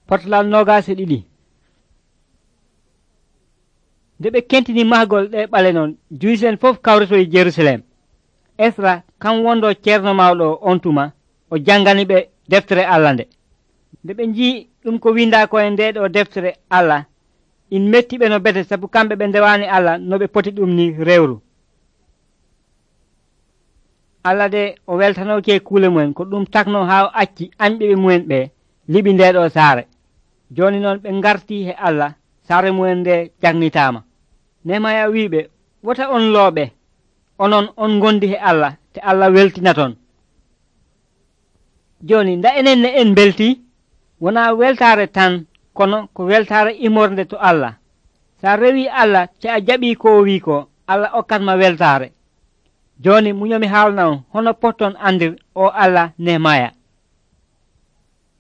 Potlal 22. nde ɓe kentini mahgol ɗe ɓale non juyisen fof kawritoyi Jerusalem. Esra kan wondo ceerno mawɗo on tuma o jangani ɓe deftere Allah nde. nde ɓe jii ɗum ko windako e nde ɗo deftere Allah in metti ɓe no bete, sabu kamɓe ɓe ndewani Allah no ɓe poti ɗum ni rewru. Allah de o weltanoke kuule mumen ko ɗum takno ha acci anɓeɓe mumen ɓe liɓi nde ɗo saare. joni noon ɓe garti he Allah, saare mumen nde jagnitama. Nehemaya wiɓe, wota on looɓe, onon on gondi he Allah te Allah weltina ton. joni nda enen ne en belti, wona weltare tan kono ko weltare imorde to Allah. sa rewi Allah te a jaɓi ko wi ko, Allah okkatma weltare. joni muñomi haalna on hono potton andir o Allah Nehemaya.